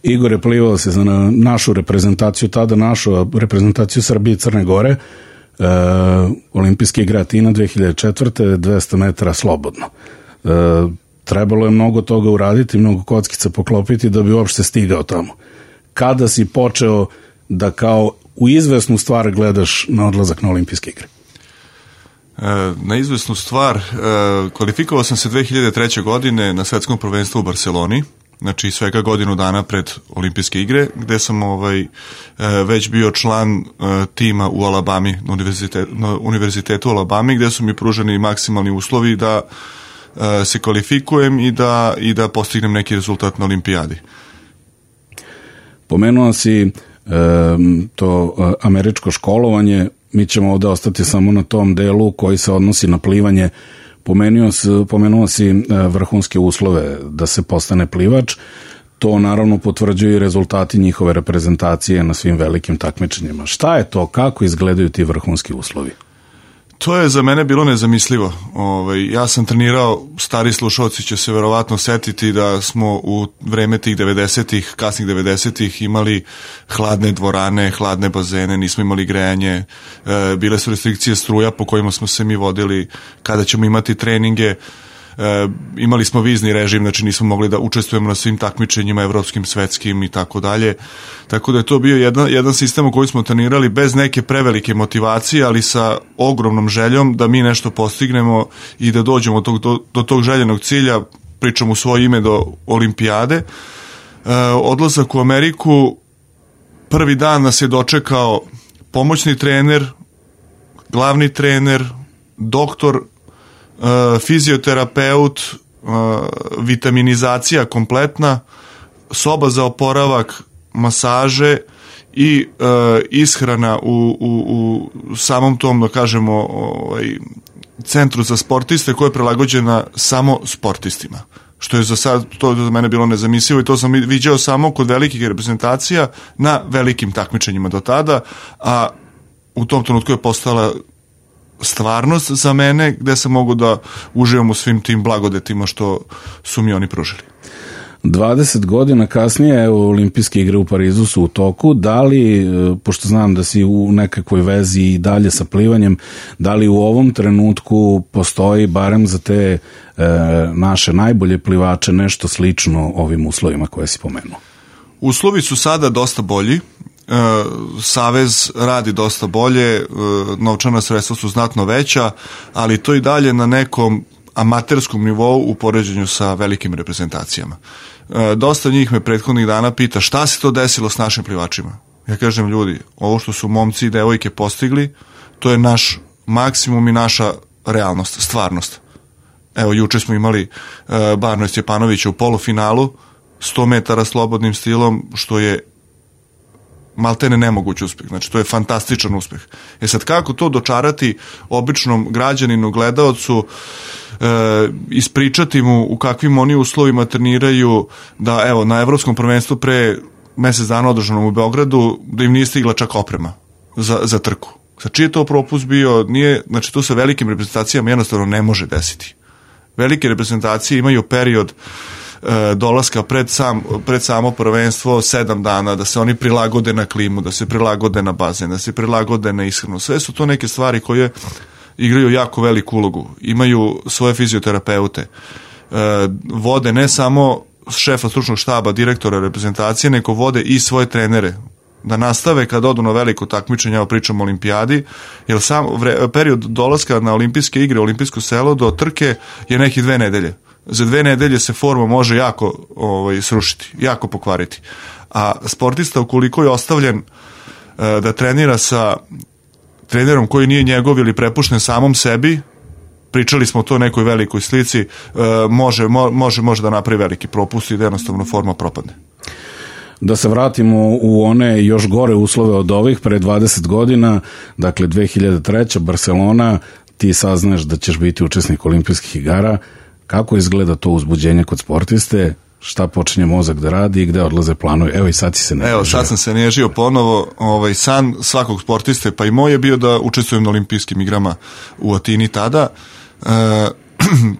Igor je plivao se za našu reprezentaciju, tada našu reprezentaciju Srbije i Crne Gore, Olimpijske igre Atina 2004. 200 metara slobodno. Trebalo je mnogo toga uraditi, mnogo kockica poklopiti da bi uopšte stigao tamo. Kada si počeo da kao u izvesnu stvar gledaš na odlazak na Olimpijske igre? Na izvesnu stvar, kvalifikovao sam se 2003. godine na svetskom prvenstvu u Barceloni, znači svega godinu dana pred Olimpijske igre, gde sam već bio član tima u Alabami, na univerzitetu u Alabami, gde su mi pruženi maksimalni uslovi da se kvalifikujem i da postignem neki rezultat na olimpijadi. Pomenuo si to američko školovanje, mi ćemo ovde ostati samo na tom delu koji se odnosi na plivanje. Pomenuo si vrhunske uslove da se postane plivač, to naravno potvrđuju i rezultati njihove reprezentacije na svim velikim takmičenjima. Šta je to, kako izgledaju ti vrhunski uslovi? To je za mene bilo nezamislivo. Ja sam trenirao, stari slušalci će se verovatno setiti da smo u vreme tih 90-ih, kasnih 90-ih imali hladne dvorane, hladne bazene, nismo imali grejanje, bile su restrikcije struja po kojima smo se mi vodili kada ćemo imati treninge. Imali smo vizni režim, znači nismo mogli da učestvujemo na svim takmičenjima evropskim, svetskim i tako dalje. Tako da je to bio jedan sistem u koji smo trenirali bez neke prevelike motivacije, ali sa ogromnom željom da mi nešto postignemo i da dođemo do tog željenog cilja, pričam u svoje ime, do olimpijade. Odlazak u Ameriku, prvi dan nas je dočekao pomoćni trener, glavni trener, doktor, fizioterapeut, vitaminizacija kompletna, soba za oporavak, masaže i ishrana u samom tom, da kažemo, centru za sportiste koja je prilagođena samo sportistima. Što je za sad, to je za mene bilo nezamislivo i to sam viđao samo kod velikih reprezentacija na velikim takmičenjima do tada, a u tom trenutku je postala stvarnost za mene gde sam mogu da uživam u svim tim blagodetima što su mi oni pružili. 20 godina kasnije Olimpijske igre u Parizu su u toku. Da li, pošto znam da si u nekakvoj vezi i dalje sa plivanjem, da li u ovom trenutku postoji barem za te naše najbolje plivače nešto slično ovim uslovima koje si pomenuo? Uslovi su sada dosta bolji. Savez radi dosta bolje, novčana sredstva su znatno veća, ali to i dalje na nekom amaterskom nivou u poređenju sa velikim reprezentacijama. Dosta njih me prethodnih dana pita šta se to desilo s našim plivačima. Ja kažem, ljudi, ovo što su momci i devojke postigli, to je naš maksimum i naša realnost, stvarnost. Evo, juče smo imali Barno Stjepanovića u polufinalu, 100 metara slobodnim stilom, što je maltene nemoguć uspeh, znači to je fantastičan uspeh. Sad kako to dočarati običnom građaninu, gledaocu, ispričati mu u kakvim oni uslovima treniraju, da evo na evropskom prvenstvu pre mesec dana održanom u Beogradu, da im nije stigla čak oprema za trku. Sad čiji je to propust bio? Nije, znači to sa velikim reprezentacijama jednostavno ne može desiti. Velike reprezentacije imaju period dolaska pred samo prvenstvo 7 dana, da se oni prilagode na klimu, da se prilagode na bazen, da se prilagode na ishranu. Sve su to neke stvari koje igraju jako veliku ulogu. Imaju svoje fizioterapeute. Vode ne samo šefa stručnog štaba, direktora reprezentacije, nego vode i svoje trenere. Da nastave kad odu na veliko takmičenje, evo pričam o olimpijadi, jer sam period dolaska na olimpijske igre, olimpijsko selo do trke je nekih 2 nedelje. Za 2 nedelje se forma može jako srušiti, jako pokvariti. A sportista, ukoliko je ostavljen da trenira sa trenerom koji nije njegov ili prepušten samom sebi, pričali smo o to nekoj velikoj slici, može da napravi veliki propust i da jednostavno forma propadne. Da se vratimo u one još gore uslove od ovih, pre 20 godina, dakle 2003. Barcelona, ti saznaš da ćeš biti učesnik olimpijskih igara. Kako izgleda to uzbuđenje kod sportiste? Šta počinje mozak da radi i gde odlaze planovi? Evo i sad si se nežio. Evo sad sam se nežio ponovo. San svakog sportiste, pa i moj je bio da učestvujem na olimpijskim igrama u Atini tada.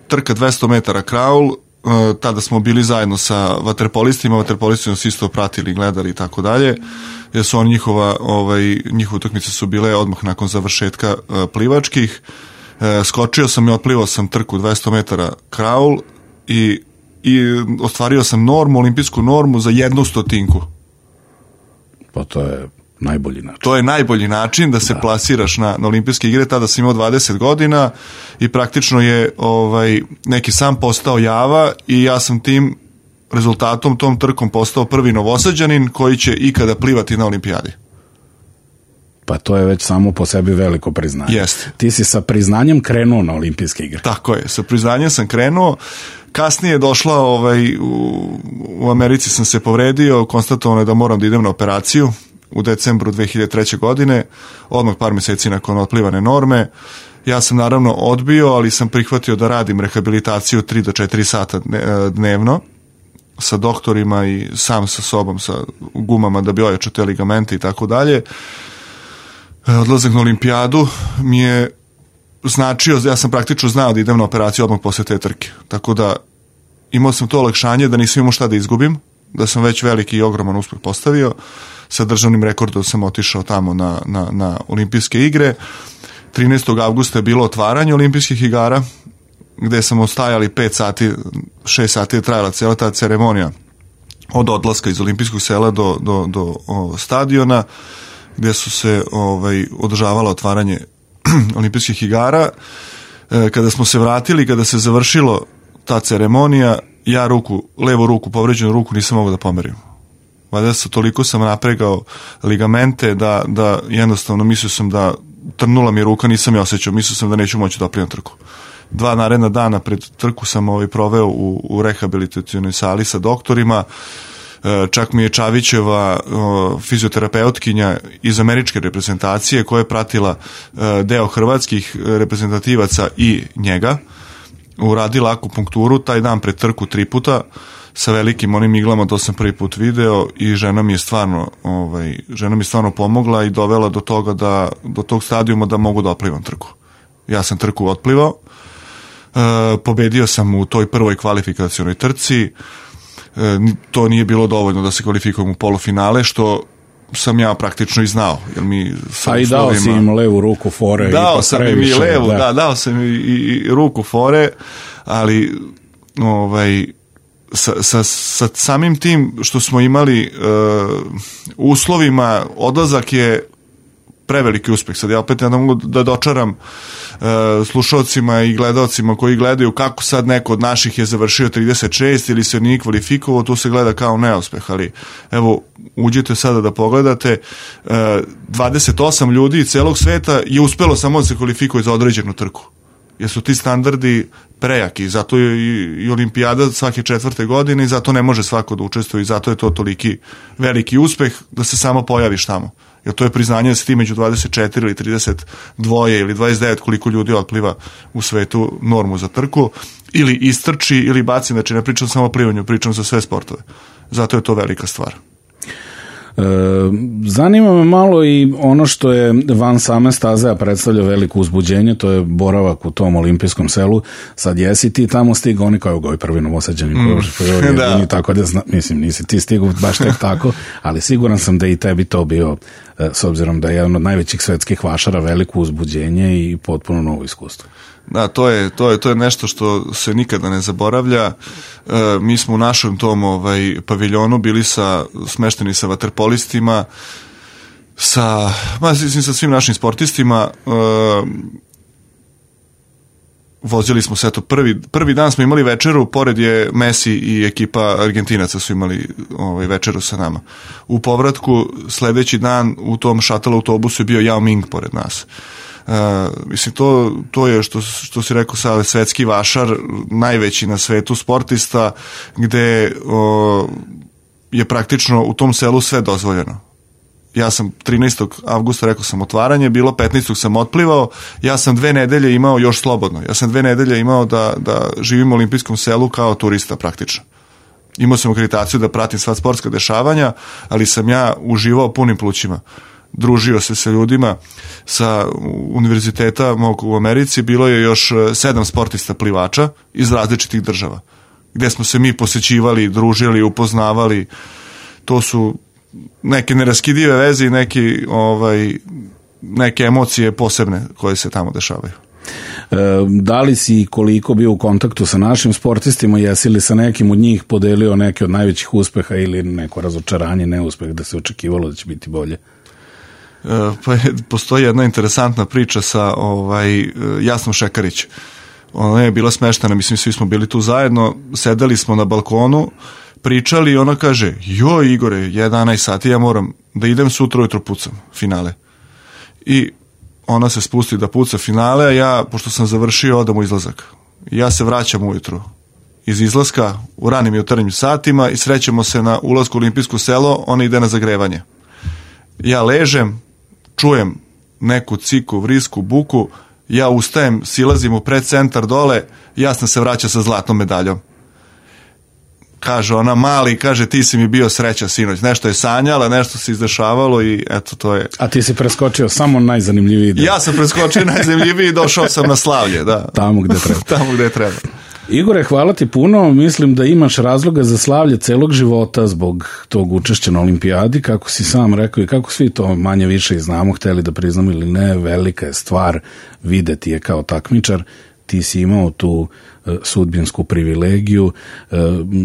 Trka 200 metara kraul, tada smo bili zajedno sa vaterpolistima su isto pratili, gledali i tako dalje, jer su njihove utakmice su bile odmah nakon završetka plivačkih. Skočio sam i otplivao sam trku 200 metara kraul i ostvario sam olimpijsku normu za 1/100. Pa to je najbolji način. To je najbolji način da se plasiraš na olimpijske igre. Tada sam imao 20 godina i praktično je neki sam postao java i ja sam tim rezultatom, tom trkom postao prvi Novosađanin koji će ikada plivati na olimpijadi. Pa to je već samo po sebi veliko priznanje. Jeste. Ti si sa priznanjem krenuo na olimpijske igre. Tako je, sa priznanjem sam krenuo. Kasnije je došla, u Americi sam se povredio, konstatovano je da moram da idem na operaciju u decembru 2003. godine, odmah par meseci nakon otplivane norme. Ja sam naravno odbio, ali sam prihvatio da radim rehabilitaciju 3 do 4 sata dnevno sa doktorima i sam sa sobom, sa gumama da bi ojačao te ligamente i tako dalje. Odlazak na olimpijadu mi je značio, ja sam praktično znao da idem na operaciju odmah posle te trke. Tako da imao sam to olakšanje da nisam imao šta da izgubim, da sam već veliki i ogroman uspeh postavio. Sa državnim rekordom sam otišao tamo na olimpijske igre. 13. avgusta je bilo otvaranje olimpijskih igara, gde sam ostajali 5 sati, 6 sati je trajala cijela ta ceremonija od odlaska iz olimpijskog sela do stadiona, gde su se održavala otvaranje olimpijskih igara. Kada smo se vratili, kada se završilo ta ceremonija, ja levu ruku, povređenu ruku nisam mogao da pomerim. Valjda toliko sam napregao ligamente da jednostavno mislio sam da trnula mi ruka, nisam je osjećao, mislio sam da neću moći da oplivam trku. 2 naredna dana pred trku sam proveo u rehabilitacionoj sali sa doktorima. Čak mi je Čavićeva fizioterapeutkinja iz američke reprezentacije koja je pratila deo hrvatskih reprezentativaca i njega, uradila akupunkturu taj dan pred trku 3 puta sa velikim onim iglama, to sam prvi put video i žena mi je stvarno pomogla i dovela do toga do tog stadijuma da mogu da otplivam trku. Ja sam trku otplivao, pobedio sam u toj prvoj kvalifikacionoj trci. To nije bilo dovoljno da se kvalifikujem u polufinale, što sam ja praktično i znao. A i dao si im levu ruku fore. Dao sam im i levu, dao sam i ruku fore, ali sa samim tim što smo imali uslovima, odlazak je preveliki uspeh. Sad ja opet ne mogu da dočaram slušalcima i gledalcima koji gledaju kako sad neko od naših je završio 36 ili se nije kvalifikovao, to se gleda kao neuspeh, ali evo, uđite sada da pogledate, 28 ljudi celog sveta je uspelo samo da se kvalifikuje za određenu trku, jer su ti standardi prejaki, zato je i olimpijada svake 4. godine i zato ne može svako da učestvuje i zato je to toliki veliki uspeh da se samo pojaviš tamo. Jer to je priznanje da se ti među 24 ili 32 ili 29 koliko ljudi otpliva u svetu normu za trku, ili istrči ili baci, znači ne pričam samo o plivanju, pričam za sve sportove. Zato je to velika stvar. Zanima me malo i ono što je van same staze, a predstavlja veliko uzbuđenje, to je boravak u tom olimpijskom selu. Sad jesi ti tamo stigao, oni kao ovi prvi Novosađani, tako da mislim, nisi ti stigao baš tek tako, ali siguran sam da i tebi to bio, s obzirom da je jedan od najvećih svetskih vašara, veliko uzbuđenje i potpuno novo iskustvo. Da, to je nešto što se nikada ne zaboravlja. Mi smo u našem tom paviljonu bili smešteni sa vaterpolistima, sa svim našim sportistima. Vozili smo se, prvi dan smo imali večeru, pored je Messi i ekipa Argentinaca su imali večeru sa nama. U povratku sledeći dan u tom šatel autobusu je bio Yao Ming pored nas. Mislim, to je što si rekao sad, svetski vašar, najveći na svetu sportista, gde je praktično u tom selu sve dozvoljeno. Ja sam 13. avgusta, rekao sam, otvaranje bilo, 15. sam otplivao, ja sam 2 nedelje imao još slobodno, ja sam 2 nedelje imao da živim u olimpijskom selu kao turista praktično. Imao sam akreditaciju da pratim sva sportska dešavanja, ali sam ja uživao punim plućima. Družio se sa ljudima sa univerziteta mog u Americi, bilo je još 7 sportista plivača iz različitih država gde smo se mi posećivali, družili, upoznavali. To su neke neraskidive veze i neke emocije posebne koje se tamo dešavaju. Da li si koliko bio u kontaktu sa našim sportistima, jesi li sa nekim od njih podelio neke od najvećih uspeha ili neko razočaranje, neuspeh da se očekivalo da će biti bolje? Pa postoji jedna interesantna priča sa Jasnom Šekarić. Ona je bila smeštena, mislim svi smo bili tu zajedno, sedeli smo na balkonu, pričali i ona kaže, joj Igore, 11 sati, ja moram da idem sutra ujutro pucam finale. I ona se spusti da puca finale, a ja, pošto sam završio, odam u izlazak. Ja se vraćam ujutru iz izlaska u ranim jutarnjim satima i srećemo se na ulasku u Olimpijsko selo, ona ide na zagrevanje. Ja ležem, čujem neku ciku, vrisku, buku, ja ustajem, silazim u predcentar dole, Jasna se vraća sa zlatnom medaljom. Kaže ona, mali, kaže, ti si mi bio sreća sinoć. Nešto je sanjala, nešto se izdešavalo i eto, to je... A ti si preskočio samo najzanimljiviji deo. Ja sam preskočio najzanimljiviji i došao sam na slavlje, da. Tamo gde treba. Tamo gde treba. Igore, hvala ti puno. Mislim da imaš razloga za slavlje celog života zbog tog učešća na olimpijadi, kako si sam rekao i kako svi to manje više i znamo, hteli da priznamo ili ne, velika je stvar videti je kao takmičar. Ti si imao tu sudbinsku privilegiju.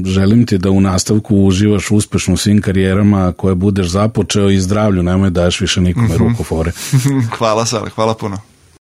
Želim ti da u nastavku uživaš uspešno u svim karijerama koje budeš započeo i zdravlju, nemoj daješ više nikome ruku fore. Hvala Sale, hvala puno.